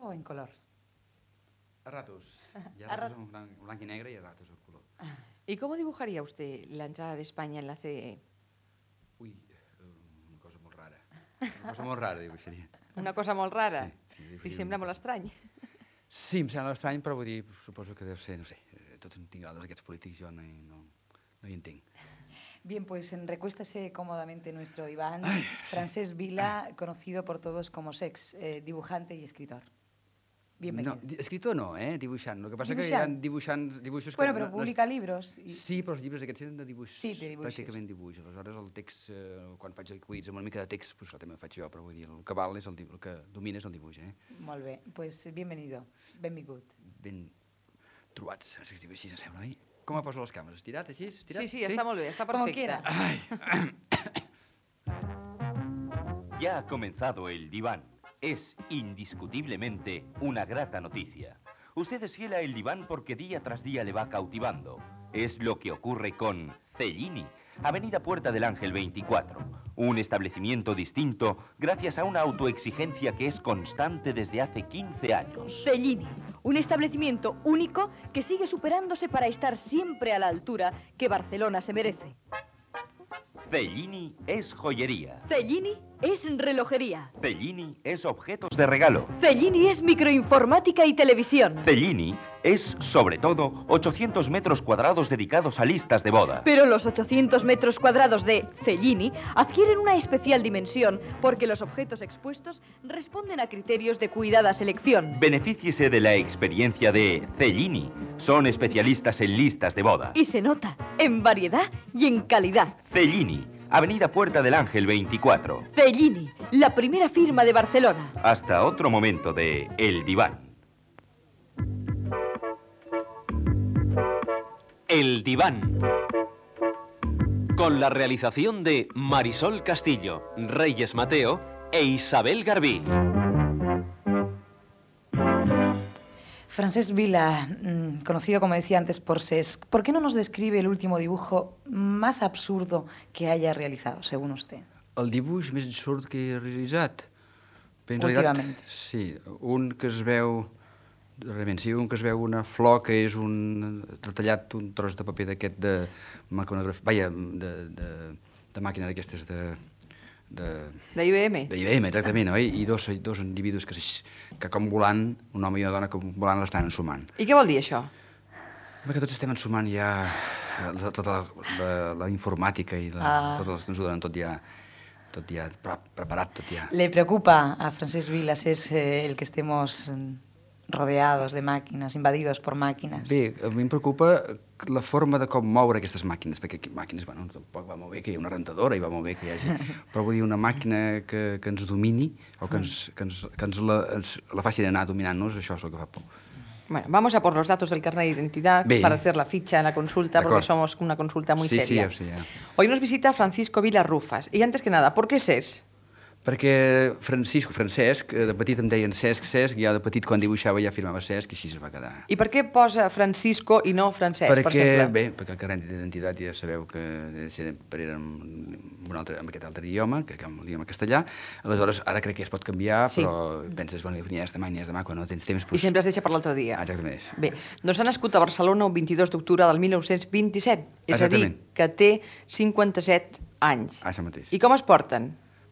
o en color? A ratos. Y a ratos blanco y negro y a ratos el color. ¿Y cómo dibujaría usted la entrada de España en la CE? Ui, una cosa molt rara. Una cosa molt rara, dibuixaria. Una cosa molt rara? Sí, Li sembla molt estrany? Sí, em sembla estrany, però vull dir, suposo que deu ser, no sé, tots en tinc aquests polítics, jo no hi entenc. Bien, pues recuéstese cómodamente en nuestro diván. Francesc Vila, conocido por todos como Sex, dibujante y escritor. Bienvenido. No, escritor no, dibuixant. El que passa que hi ha dibuixos que... Bueno, però publica llibres. Sí, però els llibres aquests eren de dibuix. Sí, de dibuixos. Pràcticament dibuix. Aleshores, el text, quan faig acudits amb una mica de text, doncs també faig jo, però vull dir, el que val és el que domina és el dibuix, Molt bé, pues bienvenido, benvingut. Ben trobats, si es diu així, em sembla, oi? Com me poso les càmeres? Estirat, així? Estirat? Sí, està molt bé, està perfecte. Ya ha comenzado el diván. Es indiscutiblemente una grata noticia. Usted es fiel a El Diván porque día tras día le va cautivando. Es lo que ocurre con Cellini, Avenida Puerta del Ángel 24. Un establecimiento distinto gracias a una autoexigencia que es constante desde hace 15 años. Cellini, un establecimiento único que sigue superándose para estar siempre a la altura que Barcelona se merece. Cellini es joyería. Cellini es relojería. Cellini es objetos de regalo. Cellini es microinformática y televisión. Cellini es, sobre todo, 800 metros cuadrados dedicados a listas de boda. Pero los 800 metros cuadrados de Cellini adquieren una especial dimensión porque los objetos expuestos responden a criterios de cuidada selección. Benefíciese de la experiencia de Cellini. Son especialistas en listas de boda. Y se nota en variedad y en calidad. Cellini, Avenida Puerta del Ángel 24. Cellini, la primera firma de Barcelona. Hasta otro momento de El Diván. El Diván. Con la realización de Marisol Castillo, Reyes Mateo e Isabel Garbí. Francesc Vila, conocido como decía antes por Sesc, ¿por qué no nos describe el último dibujo más absurdo que haya realizado, según usted? El dibuix més absurd que he realitzat? Bé, en Últimament. Sí, un que es veu... Realment, sí, un que es veu una flor que és retallat un tros de paper d'aquest de mecanografia... Vaja, de màquina d'aquestes d'IBM. D'IBM, exactament, oi? I dos individus que com volant, un home i una dona com volant l'estan ensumant. I què vol dir això? Que tots estem ensumant ja tota la informàtica i tot el que ens ho donen tot ja preparat, tot ja. ¿Le preocupa a Francesc Vila es el que estemos rodeados de máquinas, invadidos por máquinas? Bé, a mi em preocupa la forma de com moure aquestes màquines, perquè màquines, bueno, tampoc va molt bé que hi hagi una rentadora i va molt bé que hi hagi... Però vull dir, una màquina que ens domini o que ens la faci anar dominant-nos, això és el que fa por. Bueno, vamos a por los datos del carnet de identidad para hacer la ficha en la consulta, porque somos una consulta muy seria. Sí, sí. Hoy nos visita Francisco Vila Rufas. Y antes que nada, ¿por qué SES? Perquè Francesc, de petit em deien Cesc, i jo de petit quan dibuixava ja firmava Cesc i així es va quedar. I per què posa Francisco i no Francesc, per exemple? Perquè el carnet d'identitat ja sabeu que era amb aquest altre idioma, que amb l'idioma castellà, aleshores ara crec que es pot canviar, però penses, bueno, ni és demà, quan no tens temps... I sempre es deixa per l'altre dia. Exactament. Bé, doncs ha nascut a Barcelona el 22 d'octubre del 1927, és a dir, que té 57 anys. Això mateix. I com es porten?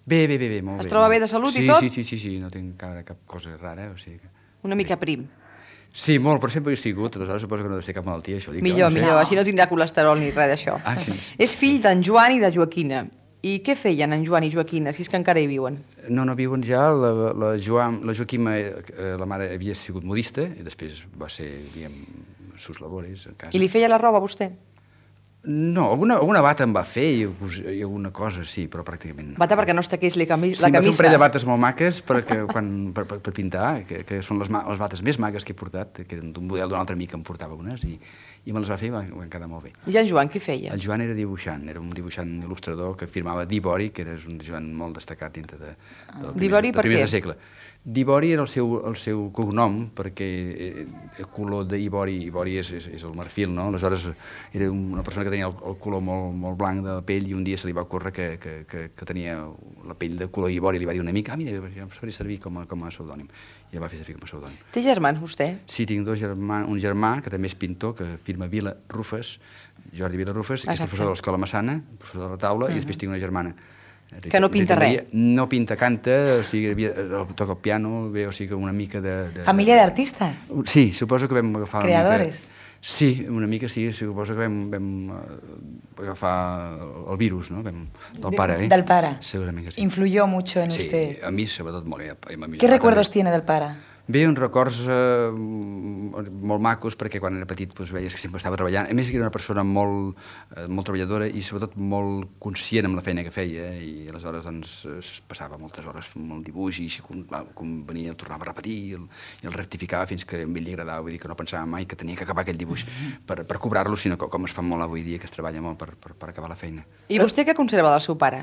Bé, molt bé. Es troba bé de salut i tot? Sí, no tinc cap cosa rara, o sigui que... Una mica prim. Sí, molt, però sempre he sigut, aleshores suposo que no deu ser cap malaltia, això. Millor, així no tindrà colesterol ni res d'això. Sí. És fill d'en Joan i de Joaquina. I què feien en Joan i Joaquina, si és que encara hi viuen? No viuen ja. La Joaquima, la mare, havia sigut modista, i després va ser, diguem, sus labores a casa. I li feia la roba a vostè? No, alguna bata em va fer i alguna cosa, sí, però pràcticament no. Bata perquè no es taqués la camisa? Sí, em va fer un parell de bates molt maques per pintar, que són les bates més maques que he portat, que eren d'un model d'un altre amic que em portava unes, i i me les va fer i van quedar molt bé. I en Joan què feia? El Joan era dibuixant, era un dibuixant il·lustrador que firmava d'Ibori, que era un dibuixant molt destacat dintre del D'Ibori per què? segle. D'Ibori era el seu cognom, perquè el color d'Ibori, Ibori és el marfil, no? Aleshores era una persona que tenia el color molt blanc de la pell i un dia se li va ocórrer que tenia la pell de color Ibori, li va dir una mica, mira, em faria servir com a pseudònim. I el va fer servir com a pseudònim. Té germans, vostè? Sí, tinc un germà, que també és pintor, que firma Vila Rufes, Jordi Vila Rufes, que és professor de l'Escola Massana, professor de la taula, i després tinc una germana. Que no pinta res. No pinta, canta, o sigui, toca el piano, bé, o sigui, una mica de... Família d'artistes? Sí, suposo que vam agafar... Creadores? Sí, una mica sí, suposo que vam agafar el virus, no? Del pare, Del pare. Segurament que sí. Influyó mucho en sí, usted. a mi sobretot molt. ¿Qué recuerdos tiene del pare? Bé, uns records molt macos, perquè quan era petit doncs, veies que sempre estava treballant. A més, era una persona molt treballadora i sobretot molt conscient amb la feina que feia, i aleshores doncs, es passava moltes hores amb el dibuix, i quan venia el tornava a repetir i el rectificava fins que a ell li agradava, vull dir que no pensava mai que tenia que acabar aquell dibuix per cobrar-lo, sinó com es fa molt avui dia, que es treballa molt per acabar la feina. I vostè què conserva del seu pare?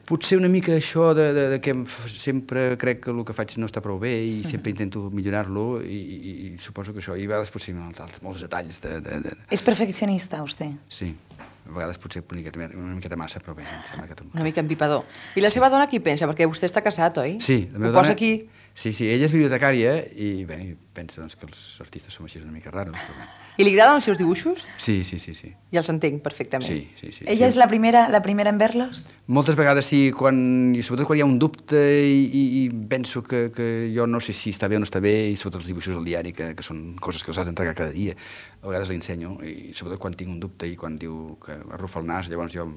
Potser una mica això de que sempre crec que el que faig no està prou bé i sempre intento millorar-lo i suposo que això, i a vegades potser molts detalls És perfeccionista, vostè? Sí, a vegades potser una miqueta massa, però bé, em sembla que... Una mica empipador. I la seva dona qui pensa? Perquè vostè està casat, oi? Sí, la meva dona... Ho posa dona... aquí? Sí, ella és bibliotecària i bé, pensa doncs, que els artistes som així una mica raros. Però... I li agraden els seus dibuixos? Sí. I els entenc perfectament. Sí. Ella és la primera en verlos? Moltes vegades sí, sobretot quan hi ha un dubte i penso que jo no sé si està bé o no està bé, i sobretot els dibuixos al diari, que són coses que els has d'entregar cada dia, a vegades li ensenyo, i sobretot quan tinc un dubte i quan diu que arrufa el nas, llavors jo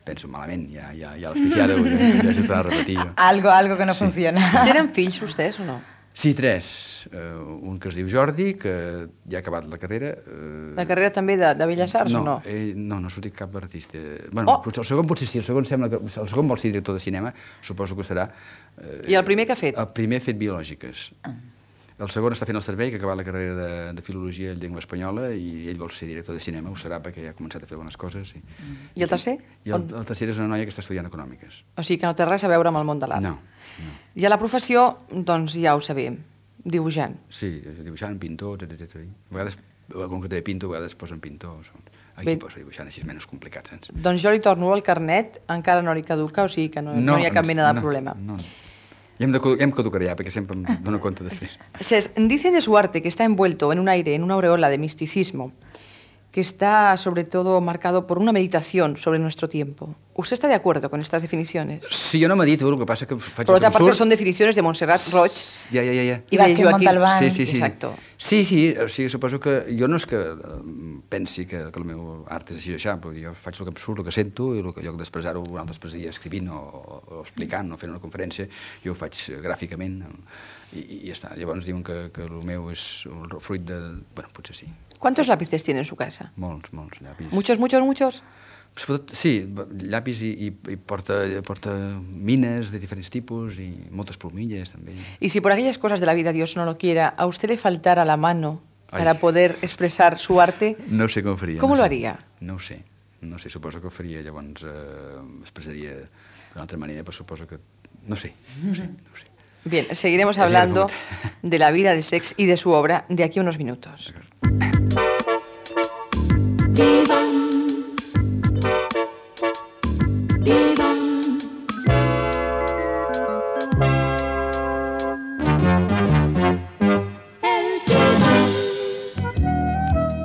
penso malament, ja l'has pifiado, ja s'ho tornarà a repetir. Algo que no funciona. Tenen fills vostès o no? Sí, 3. Un que es diu Jordi, que ja ha acabat la carrera. La carrera també de Belles Arts o no? No ha sortit cap artista. Bueno, el segon potser sí, el segon vol ser director de cinema, suposo que serà. I el primer què ha fet? El primer ha fet biològiques. El segon està fent el servei, que ha acabat la carrera de Filologia i Llengua Espanyola, i ell vol ser director de cinema, ho serà perquè ja ha començat a fer bones coses. I el tercer? I el tercer és una noia que està estudiant Econòmiques. O sigui que no té res a veure amb el món de l'art. No. I a la professió, doncs ja ho sabem, dibuixant. Sí, dibuixant, pintor, etc. A vegades, com que té pinto, a vegades posen pintor. Aquí posa dibuixant, així és menys complicat, saps? Doncs jo li torno el carnet, encara no li caduca, o sigui que no hi ha cap mena de problema. No. Ja em caducaré, perquè sempre em dono compte després. Dice de su arte que está envuelto en un aire, en una aureola de misticismo, que está sobre todo marcado por una meditación sobre nuestro tiempo. ¿Usted está de acuerdo con estas definiciones? Sí, jo no medito, el que passa que faig... Por otra parte, son definicions de Montserrat Roig. Ja. I Vázquez Montalbán. Sí. Exacto. Sí, o sigui, suposo que jo no és que pensi que el meu art és així o això, perquè jo faig el que em surt, el que sento, i el que jo d'expressar-ho, un altre expressaria escrivint o explicant o fent una conferència, jo ho faig gràficament i ja està. Llavors diuen que el meu és el fruit de... Bueno, potser sí. ¿Cuántos lápices tiene en su casa? Molts llapis. ¿Muchos? Sí, llapis i porta mines de diferents tipus i moltes plomilles, també. Y si por aquellas cosas de la vida Dios no lo quiera, a usted le faltara la mano para poder expresar su arte, no sé com ho faria. ¿Cómo lo haría? No ho sé, suposo que ho faria, llavors expressaria d'una altra manera, però suposo que... No sé. Bien, seguiremos hablando de la vida de Sex y de su obra de aquí a unos minutos.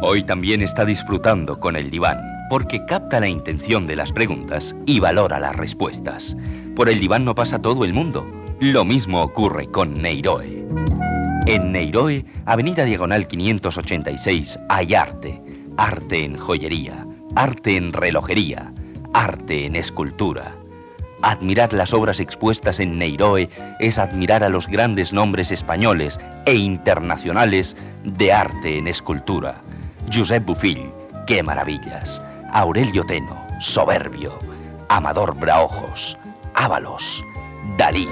Hoy también está disfrutando con el diván, porque capta la intención de las preguntas y valora las respuestas. Por el diván no pasa todo el mundo. Lo mismo ocurre con Neiroe. En Neiroe, Avenida Diagonal 586, hay arte. Arte en joyería, arte en relojería, arte en escultura. Admirar las obras expuestas en Neiroe es admirar a los grandes nombres españoles e internacionales de arte en escultura. Josep Bofill, qué maravillas. Aurelio Teno, soberbio. Amador Braojos, Ábalos, Dalí.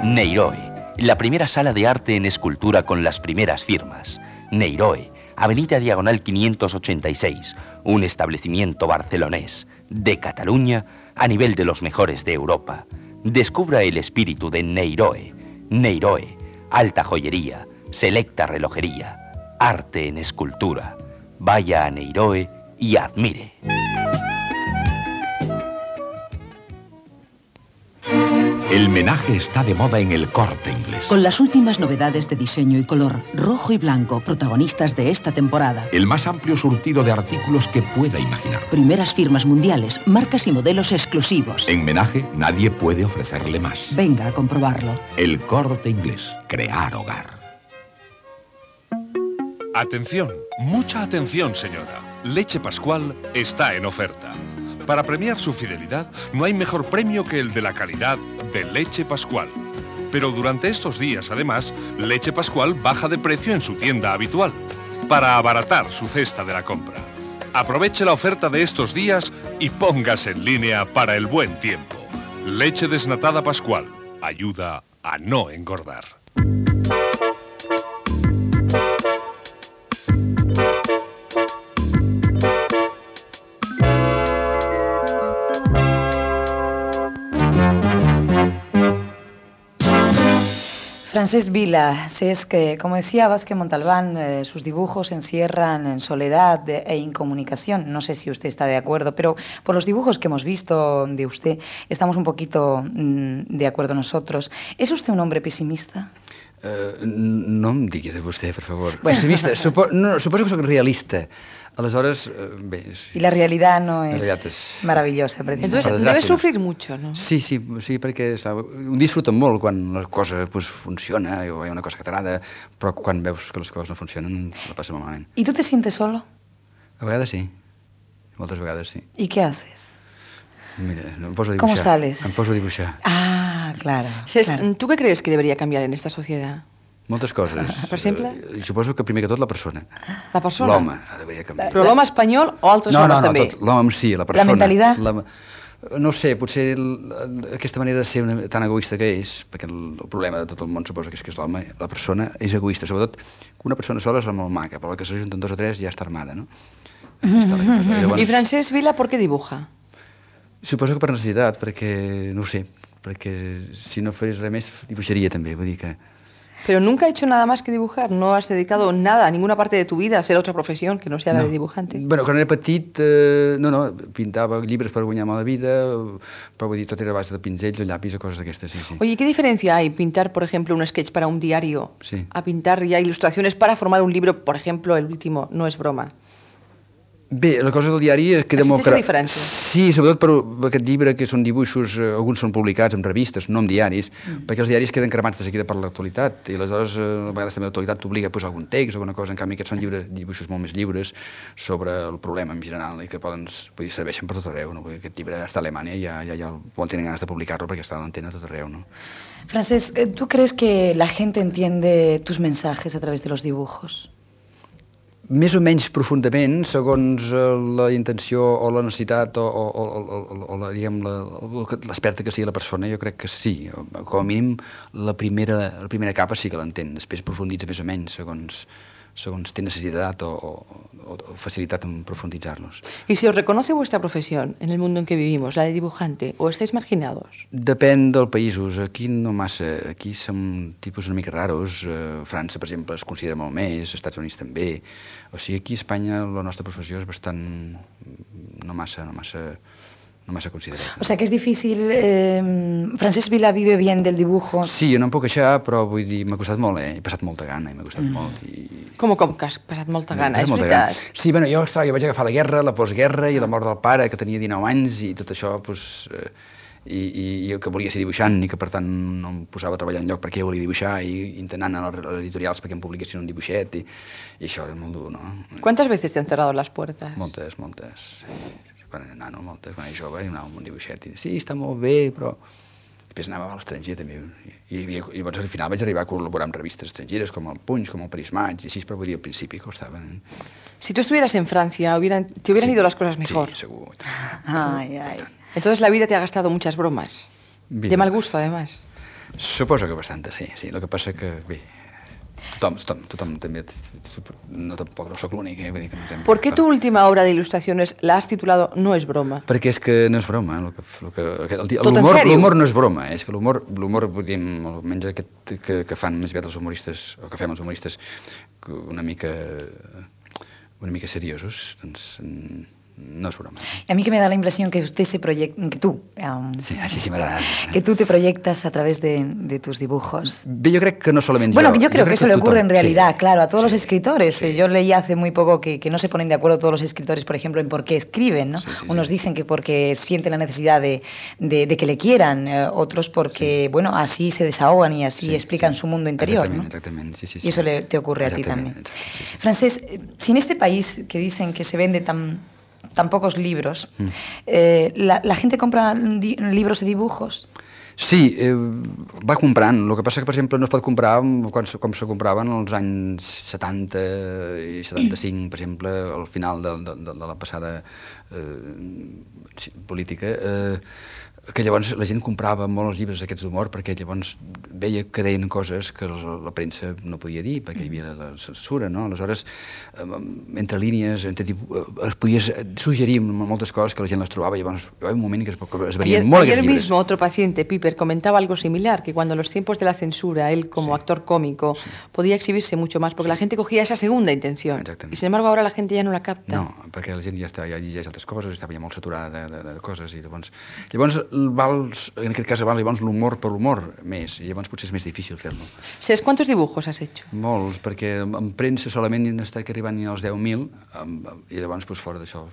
Neiroe, la primera sala de arte en escultura con las primeras firmas. Neiroe, Avenida Diagonal 586, un establecimiento barcelonés de Cataluña a nivel de los mejores de Europa. Descubra el espíritu de Neiroe. Neiroe, alta joyería, selecta relojería, arte en escultura. Vaya a Neiroe y admire. El menaje está de moda en El Corte Inglés. Con las últimas novedades de diseño y color, rojo y blanco, protagonistas de esta temporada. El más amplio surtido de artículos que pueda imaginar. Primeras firmas mundiales, marcas y modelos exclusivos. En menaje nadie puede ofrecerle más. Venga a comprobarlo. El Corte Inglés. Crear hogar. Atención, mucha atención, señora. Leche Pascual está en oferta. Para premiar su fidelidad, no hay mejor premio que el de la calidad de Leche Pascual. Pero durante estos días, además, Leche Pascual baja de precio en su tienda habitual, para abaratar su cesta de la compra. Aproveche la oferta de estos días y póngase en línea para el buen tiempo. Leche desnatada Pascual ayuda a no engordar. Francesc Vila, es que, como decía Vázquez Montalbán, sus dibujos se encierran en soledad e incomunicación. No sé si usted está de acuerdo, pero por los dibujos que hemos visto de usted, estamos un poquito de acuerdo nosotros. ¿Es usted un hombre pesimista? No em diguis de vostè, per favor. Bueno. Pessimista. Suposo que sóc realista. Aleshores, bé... Y la realidad no es es maravillosa, precisamente. Entonces, debes sufrir mucho, ¿no? Sí, perquè ho disfruten molt quan la cosa pues, funciona o hi ha una cosa que t'agrada, però quan veus que les coses no funcionen, la passes malament. ¿Y tú te sientes solo? A vegades sí. Moltes vegades sí. ¿Y qué haces? Mira, em poso a dibuixar. ¿Cómo sales? Em poso a dibuixar. Ah, claro. Claro. ¿Tú qué crees que debería cambiar en esta sociedad? Moltes coses. Per exemple? Suposo que primer que tot la persona. La persona? L'home deveria canviar. Però l'home espanyol o altres homes també? No, l'home sí, la persona. La mentalitat? No sé, potser aquesta manera de ser tan egoista que és, perquè el problema de tot el món suposa que és l'home, la persona és egoista, sobretot que una persona sola és molt maca, però que s'ajunten dos o tres ja està armada, no? I Francesc Vila, ¿por qué dibuja? Suposo que per necessitat, perquè, no ho sé, perquè si no fes res més dibuixaria també, vull dir que... Pero nunca has hecho nada más que dibujar, no has dedicado nada, a ninguna parte de tu vida a hacer otra profesión que no sea la de dibujante. Bueno, quan era petit, pintava llibres per guanyar-me la vida, però vull dir, tot era a base de pinzells o llapis o coses d'aquestes, sí. Oye, ¿qué diferencia hay pintar, por ejemplo, un sketch para un diario a pintar ya ilustraciones para formar un libro, por ejemplo, el último, no es broma? Bé, la cosa del diari queda molt... Existeix diferència? Sí, sobretot per aquest llibre, que són dibuixos, alguns són publicats en revistes, no en diaris, perquè els diaris queden cremats de seguida per l'actualitat, i aleshores a vegades també l'actualitat t'obliga a posar algun text o alguna cosa, en canvi aquests són dibuixos molt més lliures sobre el problema en general i que serveixen per tot arreu, no? Perquè aquest llibre està a Alemanya i ja tenen ganes de publicar-lo perquè està a l'antena a tot arreu, no? Francesc, ¿tú crees que la gente entiende tus mensajes a través de los dibujos? Més o menys profundament, segons la intenció o la necessitat o l'experta que sigui la persona, jo crec que sí. Com a mínim, la primera capa sí que l'entén. Després profunditza més o menys, segons té necessitat o facilitat en profundizarlos. ¿Y si os reconoce vuestra profesión en el mundo en que vivimos, la de dibujante, o estáis marginados? Depèn dels països. Aquí no massa. Aquí som tipus una mica raros. França, per exemple, es considera molt més, Estats Units també. O sigui, aquí a Espanya la nostra professió és bastant... no massa considerada. O sea, que es difícil... Francesc Vila vive bien del dibujo. Sí, jo no em puc queixar, però vull dir, m'ha costat molt, He passat molta gana i m'ha costat molt. Com que has passat molta gana? És veritat? Sí, bueno, jo vaig agafar la guerra, la postguerra i la mort del pare, que tenia 19 anys, i tot això, doncs... I que volia ser dibuixant i que, per tant, no em posava a treballar enlloc perquè jo volia dibuixar i intentant anar a les editorials perquè em publiquessin un dibuixet i això era molt dur, no? ¿Cuántas veces te han cerrado las puertas? Moltes. Quan era nano, moltes. Quan era jove, anava amb un dibuixet i sí, està molt bé, però... Després anava a l'estranger, també. I llavors, al final, vaig arribar a col·laborar amb revistes estrangeres, com el Punch, com el Prismatge, i així, però vull dir, al principi costava. Si tú estuvieras en Francia, te hubieran ido las cosas mejor. Sí, segur. Ay. Entonces la vida te ha gastado muchas bromas. De mal gusto, además. Suposo que bastante, sí. El que passa que, bé, tothom també. Tampoc no sóc l'únic. ¿Por qué tu última obra de ilustraciones la has titulado No es broma? Perquè és que no és broma. Tot en sèrio? L'humor no és broma. És que l'humor, vull dir, almenys aquest que fan més aviat els humoristes, o que fem els humoristes, una mica seriosos, doncs no es broma. A mí que me da la impresión que usted se proyecta, que tú, Sí, així m'agrada. que tú te proyectas a través de tus dibujos. Bé, jo crec que no solament Bueno, jo. yo creo que eso le ocurre en realidad, sí, claro, a todos sí, los escritores. sí. Yo leí hace muy poco que no se ponen de acuerdo todos los escritores, por ejemplo, en por qué escriben, ¿no? Sí, sí, Unos sí. dicen que porque sienten la necesidad de que le quieran, otros porque, bueno, así se desahogan y así Sí, explican sí. su mundo interior, Exactamente, sí, sí. Y eso te ocurre a ti Exactamente, también. sí, sí. Francés, si en este país que dicen que se vende tan pocos libros, la gente compra libros de dibujos. Sí, va comprant. El que passa que, per exemple, no es pot comprar com se compraven als anys 70 i 75, per exemple, al final de la passada política, que llavors la gent comprava molt els llibres aquests d'humor perquè llavors veia que deien coses que la premsa no podia dir perquè hi havia la censura, no? Aleshores, entre línies, es podies suggerir moltes coses que la gent les trobava i llavors hi va haver un moment que es varien molt Ayer aquests llibres. mismo otro paciente, Piper, comentaba algo similar, que cuando en los tiempos de la censura, él como actor cómico podía exhibirse mucho más, porque la gente cogía esa segunda intención. Y sin embargo ahora la gente ya no la capta. No, perquè la gent ja llegeix altres coses, estava ja molt saturada de coses i llavors en aquest cas val llavors l'humor per l'humor més, i llavors potser és més difícil fer-lo. ¿Sabes cuántos dibujos has hecho? Molts, perquè en premsa solament han estat arribant als 10.000 i llavors fora d'això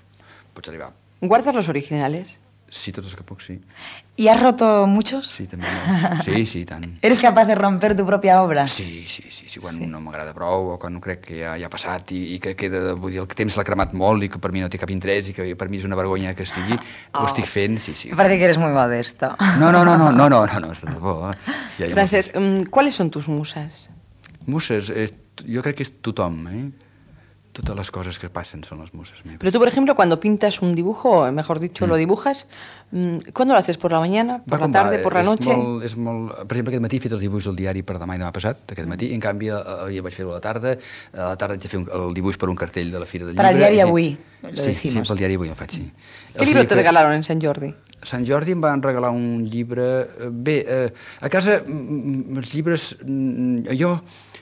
pots arribar. ¿Guardas los originales? Sí, tots els que puc, sí. ¿Y has roto muchos? Sí, també molts. Sí, tant. ¿Eres capaz de romper tu propia obra? Sí, quan no m'agrada prou o quan crec que ja ha passat i que queda, vull dir, el temps l'ha cremat molt i que per mi no té cap interès i que per mi és una vergonya que estigui, ho estic fent, sí. Parece que eres muy modesto. No, és per por. Francesc, ¿cuáles son tus musas? Muses, jo crec que és tothom, Totes les coses que passen són les muses meves. Pero tú, por ejemplo, cuando pintas un dibujo, o mejor dicho, lo dibujas, ¿cuándo lo haces? ¿Por la mañana? ¿Por la tarde? ¿Por la noche? És molt... Per exemple, aquest matí he fet els dibuix del diari per demà i demà passat, aquest matí, i en canvi ja vaig fer-ho a la tarda haig de fer el dibuix per un cartell de la Fira del Llibre. Para el diari Avui, lo decimos. Sí, pel diari Avui el faig, sí. ¿Qué libro te regalaron en Sant Jordi? A Sant Jordi em van regalar un llibre... Bé, a casa els llibres... Jo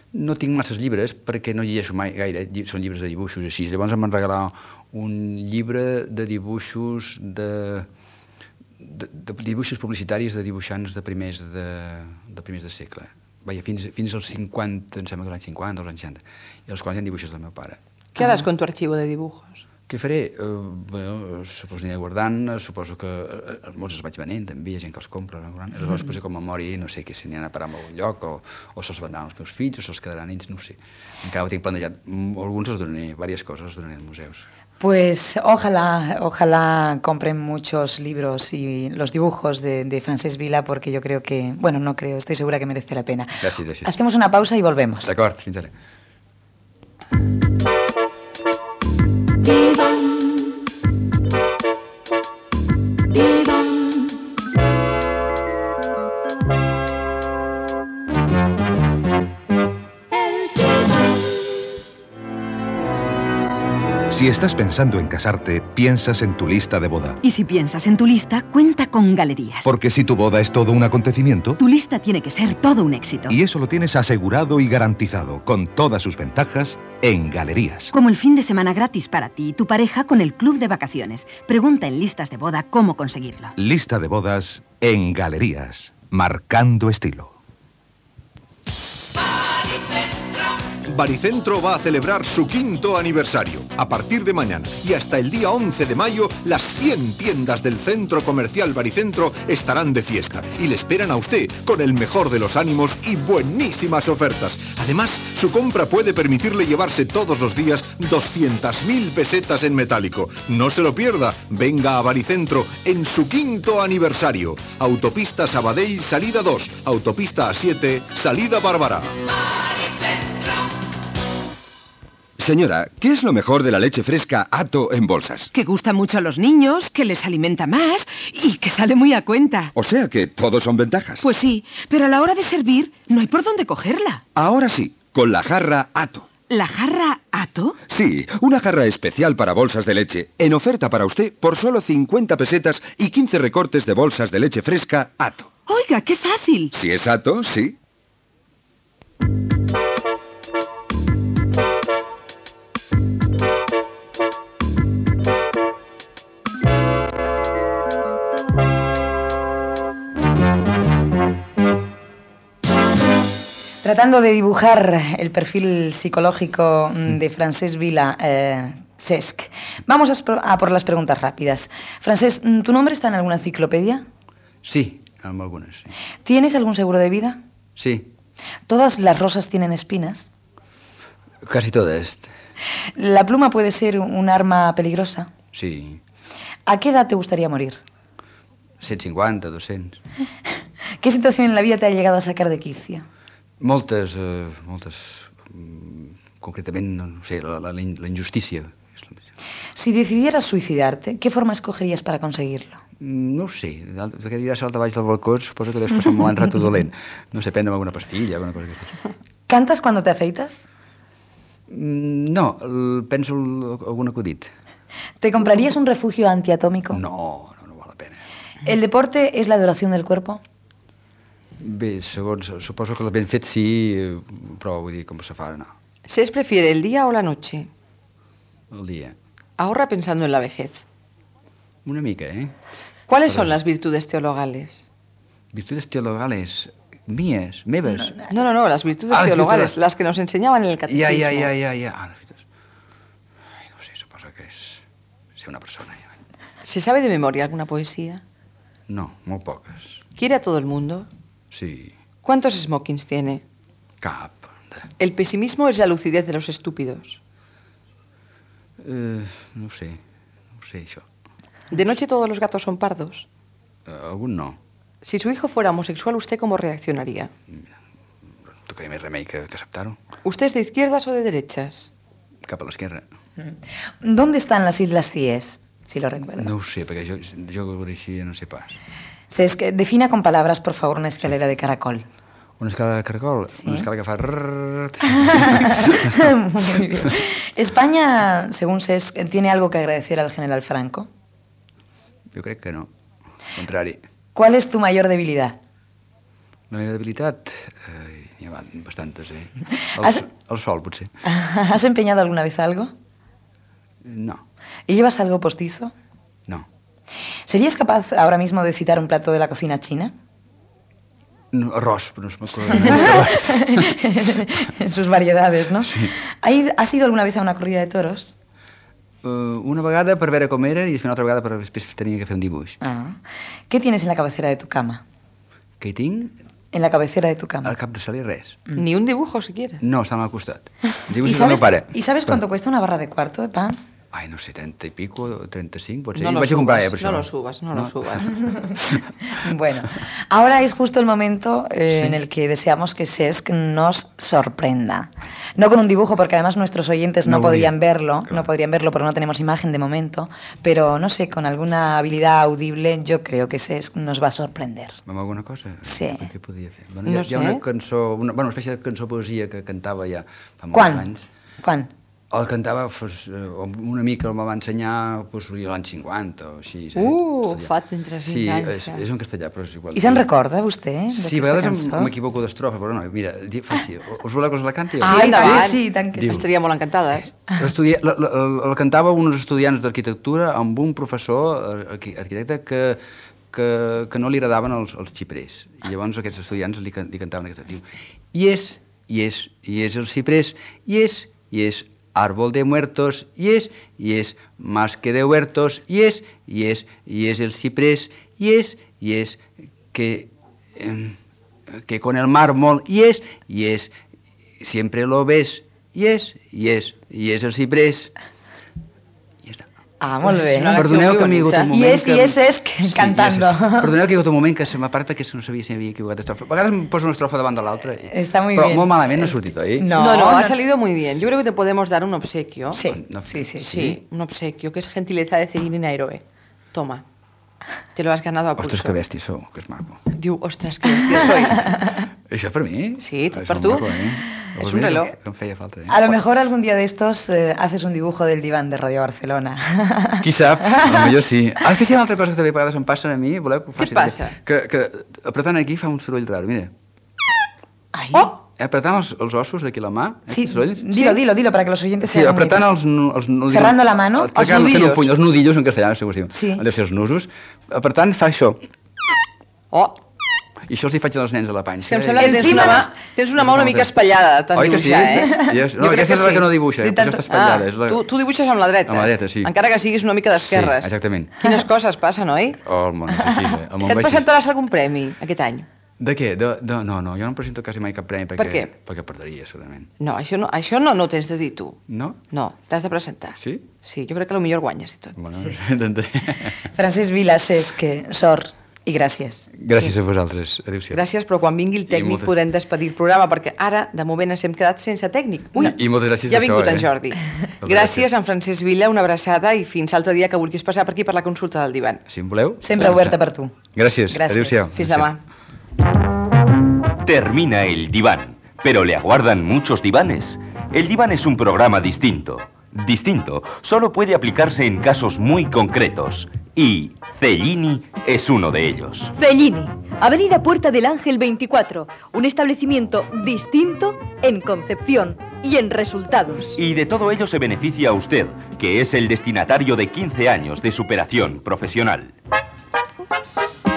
no tinc masses llibres perquè no llegeixo mai gaire, són llibres de dibuixos així. Llavors em van regalar un llibre de dibuixos de dibuixos publicitaris de dibuixants de primers de segle. Vaja, fins als 50, em sembla que als anys 50 o als anys 60, i els quals hi ha dibuixos del meu pare. ¿Qué harás con tu archivo de dibujos? Què faré? Suposo aniré guardant, suposo que molts els vaig venent, també, hi ha gent que els compra, aleshores poso com a memòria i no sé si n'hi han a parar a algun lloc, o se'ls vendran els meus fills, o se'ls quedaran ells, no ho sé. Encara ho tinc plantejat. Alguns els donaré, diverses coses els donaré als museus. Pues ojalá compren muchos libros y los dibujos de Francesc Vila, porque yo creo que, bueno, no creo, estoy segura que merece la pena. Gràcies. Hacemos una pausa y volvemos. D'acord, fins ara. Si estás pensando en casarte, piensas en tu lista de boda. Y si piensas en tu lista, cuenta con Galerías. Porque si tu boda es todo un acontecimiento, Tu lista tiene que ser todo un éxito. y eso lo tienes asegurado y garantizado, con todas sus ventajas, en Galerías. Como el fin de semana gratis para ti y tu pareja con el club de vacaciones. Pregunta en listas de boda cómo conseguirlo. Lista de bodas en Galerías, marcando estilo. Baricentro va a celebrar su 5º aniversario. A partir de mañana y hasta el día 11 de mayo, las 100 tiendas del Centro Comercial Baricentro estarán de fiesta y le esperan a usted con el mejor de los ánimos y buenísimas ofertas. Además, su compra puede permitirle llevarse todos los días 200.000 pesetas en metálico. No se lo pierda. Venga a Baricentro en su 5º aniversario. Autopista Sabadell, salida 2. Autopista A7, salida Bárbara. Señora, ¿qué es lo mejor de la leche fresca Ato en bolsas? Que gusta mucho a los niños, que les alimenta más y que sale muy a cuenta. O sea que todos son ventajas. Pues sí, pero a la hora de servir no hay por dónde cogerla. Ahora sí, con la jarra Ato. ¿La jarra Ato? Sí, una jarra especial para bolsas de leche, en oferta para usted por solo 50 pesetas y 15 recortes de bolsas de leche fresca Ato. Oiga, qué fácil. Si es Ato, sí. Tratando de dibujar el perfil psicológico de Francesc Vila, Cesc, vamos a por las preguntas rápidas. Francesc, ¿tu nombre está en alguna enciclopedia? Sí, en algunes, sí. ¿Tienes algún seguro de vida? Sí, ¿Todas las rosas tienen espinas? casi todas. ¿La pluma puede ser un arma peligrosa? Sí, ¿A qué edad te gustaría morir? 150, 200. ¿Qué situación en la vida te ha llegado a sacar de quicio? Moltes, concretament, no sé, la injustícia. Si decidieras suicidarte, ¿qué forma escogerías para conseguirlo? No ho sé, perquè dirà saltar baix del balcó, suposo que deus passar un mal rato dolent. No sé, prendre'm alguna pastilla, alguna cosa que... ¿Cantas cuando te afeitas? No, penso algun acudit. ¿Te comprarías un refugio antiatómico? No val la pena. ¿El deporte es la adoración del cuerpo? Bé, segons, suposo que el ben fet sí, però vull dir, com se fa, no. ¿Cesc prefiere el día o la noche? El dia. Ahorra pensando en la vejez. Una mica, ¿eh? ¿Cuáles son las virtudes teologales? Virtudes teologales mías, meves. No, las virtudes teologales, las que nos enseñaban en el catecismo. Ja. Las virtudes. Ai, no sé, suposo que és ser una persona. Ja. ¿Se sabe de memoria alguna poesía? No, molt poques. ¿Quiere a todo el mundo? Sí, ¿Cuántos smokings tiene? cap. El pesimismo es la lucidez de los estúpidos. No ho sé, això. ¿De noche todos los gatos son pardos? Algun no. Si su hijo fuera homosexual, ¿usted cómo reaccionaría? No tocaria més remei que acceptar-ho. ¿Usted es de izquierdas o de derechas? Cap a l'esquerra. ¿Dónde están las Islas Cíes? Si lo recuerda. No ho sé, perquè jo així no sé pas. Cesc, defina con palabras, por favor, una escalera de caracol. Una escala de caracol? Sí. Una escala que fa... Muy bien. ¿España, según Cesc, tiene algo que agradecer al general Franco? Jo crec que no. Al contrari. ¿Cuál es tu mayor debilidad? La meva debilitat? N'hi ha bastantes, eh? El sol, potser. ¿Has empeñado alguna vez algo? No. ¿Y llevas algo postizo? No. ¿Serías capaz ahora mismo de citar un plato de la cocina china? No, arròs, però no es m'acorda. En sus variedades, ¿no? Sí. ¿Has ido alguna vez a una corrida de toros? Una vegada per veure com era i després una altra vegada per després tenia que fer un dibuix. Ah. ¿Qué tienes en la cabecera de tu cama? Què hi tinc? En la cabecera de tu cama. Al cap de sol i res. Ni un dibujo siquiera. No, està al costat. Dibuix ¿Y del meu pare. sabes cuánto cuesta una barra de cuarto de pan? Ai, no sé, 30 i pico, 35, pot ser. No I lo vaig a comprar, subas, per això. no lo subas. Bueno, ahora es justo el momento en el que deseamos que Cesc nos sorprenda. No con un dibujo, porque además nuestros oyentes no podrían verlo, claro. no podrían verlo porque no tenemos imagen de momento, pero no sé, con alguna habilidad audible yo creo que Cesc nos va a sorprender. Amb alguna cosa? Sí. Què podia fer? Bueno, No hi ha sé. una cançó, una espècie de cançó poesia que cantava ja fa molts Quan? anys. Quan? El cantava, un amic el me va ensenyar l'any 50 o així. Fa 35 sí, anys. és en castellà, però és igual. I se'n recorda, vostè? Sí, a vegades m'equivoco d'estrofa, però no, mira, fàcil. Us voleu que us la canti? Ai, endavant. sí, tant que sí. Estaríamos encantades. El cantava uns estudiants d'arquitectura amb un professor arquitecte que no li agradaven els xiprers. I llavors aquests estudiants li cantaven aquesta. Diu, i és el xiprés, i és árbol de muertos, y es más que de huertos, y es el ciprés, y es que con el mármol, y es siempre lo ves, y es el ciprés. Ah, molt bé. Perdoneu que m'hi ha hagut un moment... I és cantando. Perdoneu que hi ha hagut un moment que se m'ha parat perquè no sabia si m'havia equivocat d'estrofa. A vegades em poso una estrofa davant de l'altra. Está muy però bien. molt malament no ha sortit, oi? No, ha salido muy bien. Yo creo que te podemos dar un obsequio. Sí, No, Sí, un obsequio, que es gentileza de Celine Héroe. Toma. Te lo has ganado a pulso. Ostres, que bèstia sou, que és maco. Diu, ostres, que bèstia soy. Això per mi? Sí, tot Això per és tu. maco, Es un reloj. Com feia falta. A lo mejor algún día de estos haces un dibujo del diván de Radio Barcelona. Qui sap? Potser sí. Ah, és que hi ha una altra cosa que també a vegades em passa a mi. Voleu que ho faci? Què et passa? Que apretant aquí fa un soroll raro, mira. Ai. Apretant els ossos d'aquí la mà. Sí, sorolls. dilo para que los oyentes Sí, se hagan apretant una els nudillos. Cerrando la mano, els nudillos en castellà, no sé com es diu. Sí. Han de ser els nusos. Apretant fa això. Oh! I això els hi faig als nens a la panxa. Que em sembla que tens una mà una mica espatllada, tant Oi que sí? dibuixar, No, aquesta és la que no dibuixa, aquesta està espatllada. Tu dibuixes amb la dreta. Amb la dreta, sí. Encara que siguis una mica d'esquerres. Sí, exactament. Quines coses passen, oi? Oh, no sé si... Que et presentaràs algun premi aquest any? De què? No, jo no em presento quasi mai cap premi Per què? Perquè perdria, segurament. No, això no tens de dir tu. No? No, t'has de presentar. Sí? Sí, jo crec que potser guanyes i tot. Bueno, sí. intentaré. Francesc Vila, Cesc, sort i gràcies. Gràcies a vosaltres. Adéu-siau. Gràcies, però quan vingui el tècnic podrem despedir el programa, perquè ara, de moment, ens hem quedat sense tècnic. Ui, I moltes gràcies ja ha vingut en Jordi. Gràcies, gràcies. en Francesc Vila, una abraçada i fins l'altre dia que vulguis passar per aquí per la consulta del divan. Si em voleu. Sempre oberta per tu. Gràcies. Adéu-siau. Fins demà. Termina el diván, pero le aguardan muchos divanes. El diván es un programa distinto. Distinto solo puede aplicarse en casos muy concretos. Y Cellini es uno de ellos. Cellini, Avenida Puerta del Ángel 24. Un establecimiento distinto en concepción y en resultados. Y de todo ello se beneficia usted, que es el destinatario de 15 años de superación profesional.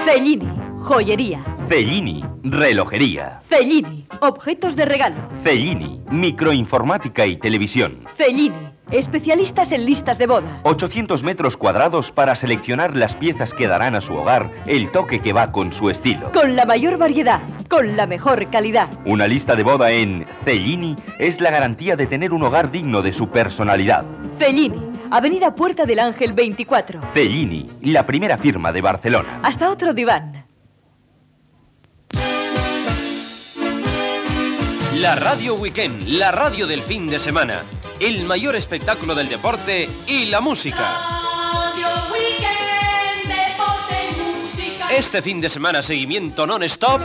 Cellini, joyería. Cellini, relojería. Cellini, objetos de regalo. Cellini, microinformática y televisión. Cellini, especialistas en listas de boda. 800 metros cuadrados para seleccionar las piezas que darán a su hogar el toque que va con su estilo. Con la mayor variedad, con la mejor calidad. Una lista de boda en Cellini es la garantía de tener un hogar digno de su personalidad. Cellini, Avenida Puerta del Ángel 24. Cellini, la primera firma de Barcelona. Hasta otro diván. La Radio Weekend, la radio del fin de semana. El mayor espectáculo del deporte y la música. Radio Weekend, deporte y música. Este fin de semana seguimiento non-stop